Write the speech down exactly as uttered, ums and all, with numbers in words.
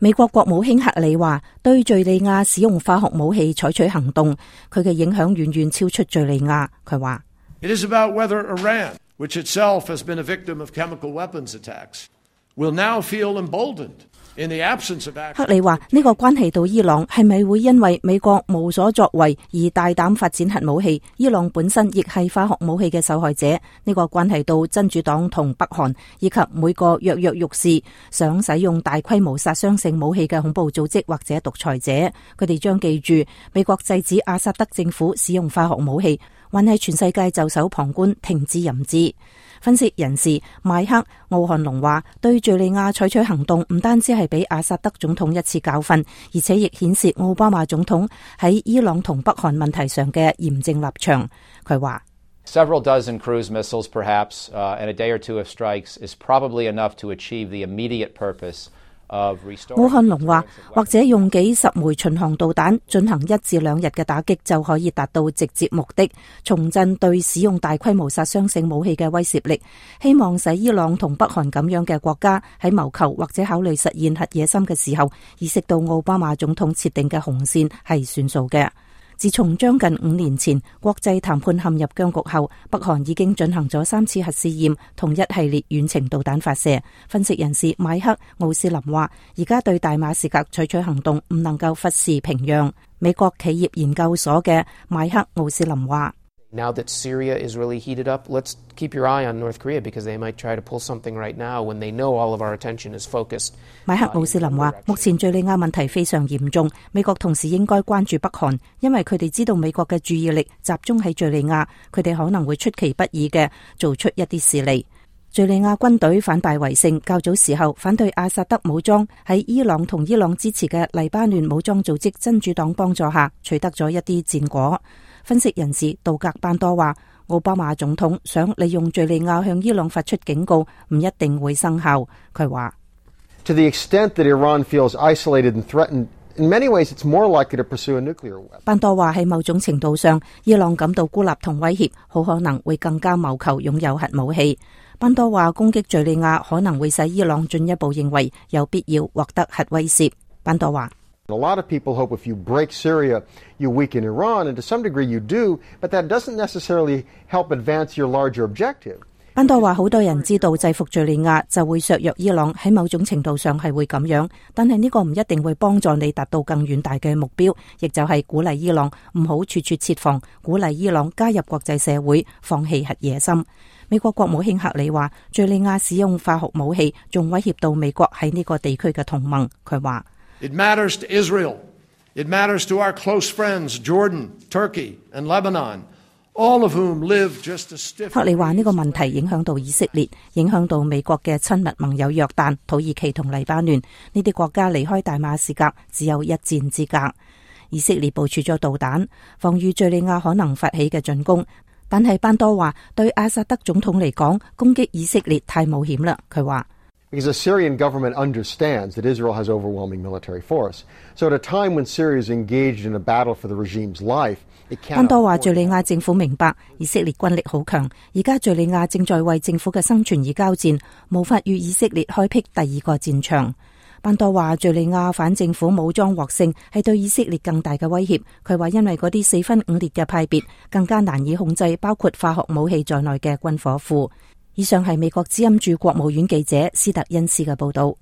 美國國務卿克里話，對敘利亞使用化學武器採取行動，佢嘅影響遠遠超出敘利亞。佢話：It is about whether Iran, which itself has been a victim of chemical weapons attacks, will now feel emboldened. 克里話呢個關係到伊朗係咪會因為美國無所作為而大膽發展核武器？伊朗本身亦係化學武器嘅受害者。呢個關係到真主黨同北韓以及每個躍躍欲試想使用大規模殺傷性武器嘅恐怖組織或者獨裁者，佢哋將記住美國制止阿薩德政府使用化學武器，還係全世界袖手旁觀，停之任之。分析人士邁克奧漢龍話，對敘利亞採取行動唔單止係俾阿薩德總統一次教訓，而且亦顯示奧巴馬總統喺伊朗同北韓問題上嘅嚴正立場。佢話：Several dozen cruise missiles, perhaps, uh, and a day or two of strikes is probably enough to achieve the immediate purpose.奧漢龍話，或者用幾十枚巡航導彈進行一至兩日嘅打擊就可以達到直接目的，重振對使用大規模殺傷性武器嘅威懾力，希望使伊朗同北韓咁樣嘅國家喺謀求或者考慮實現核野心嘅時候，意識到奧巴馬總統設定嘅紅線係算數嘅。自從將近五年前國際談判陷入僵局後，北韓已經進行咗三次核試驗同一系列遠程導彈發射。分析人士邁克奧斯林話，而家對大馬士革採取行動唔能夠忽視平壤。美國企業研究所嘅邁克奧斯林話：Now that Syria is really heated up, let's keep your eye on North Korea because they might try to pull something right now when they know all of our attention is focused. 邁克奧斯林話：目前敘利亞問題非常嚴重，美國同時應該關注北韓，因為佢哋知道美國嘅注意力集中喺敘利亞，佢哋可能會出其不意嘅做出一啲事嚟。敘利亞軍隊反敗為勝，較早時候反對阿薩德武裝喺伊朗同伊朗支持嘅黎巴嫩武裝組織真主黨幫助下，取得咗一啲戰果。分析人士杜格班多話，奧巴馬總統想利用敘利亞向伊朗發出警告，唔一定會生效。佢話：To the extent that Iran feels isolated and threatened, in many ways it's more likely to pursue a nuclear weapon. 班多話喺某種程度上，伊朗感到孤立同威脅，好可能會更加謀求擁有核武器。班多話攻擊敘利亞可能會使伊朗進一步認為有必要獲得核威懾。班多話：A lot of people hope if you break Syria, you weaken Iran, and to some degree you do, but that doesn't necessarily help advance your larger objective. 班多話，好多人知道制服敘利亞就會削弱伊朗，喺某種程度上係會咁樣，但係呢個唔一定會幫助你達到更遠大嘅目標，亦就係鼓勵伊朗唔好處處設防，鼓勵伊朗加入國際社會，放棄核野心。美國國務卿克里話，敘利亞使用化學武器仲威脅到美國喺呢個地區嘅同盟。佢話：It matters to Israel. It matters to our close friends, Jordan, Turkey, and Lebanon, all of whom live just a stiff. 克里話呢個問題影響到以色列，影響到美國嘅親密盟友約旦、土耳其同黎巴嫩呢啲國家，離開大馬士革只有一箭之隔。以色列部署咗導彈，防禦敘利亞可能發起嘅進攻。但係班多話，對阿薩德總統嚟講，攻擊以色列太冒險啦。佢話：Because the Syrian government understands that Israel has overwhelming military force. So at a time when Syria is engaged in a battle for the regime's life, it cannot. 班多話，敘利亞政府明白以色列軍力好強，而家敘利亞正在為政府嘅生存而交戰，無法與以色列開闢第二個戰場。班多話，敘利亞反政府武裝獲勝係對以色列更大嘅威脅。佢話，因為嗰啲四分五裂嘅派別更加難以控制，包括化學武器在內嘅軍火庫。以上係美國之音駐國務院記者斯特恩斯嘅報道。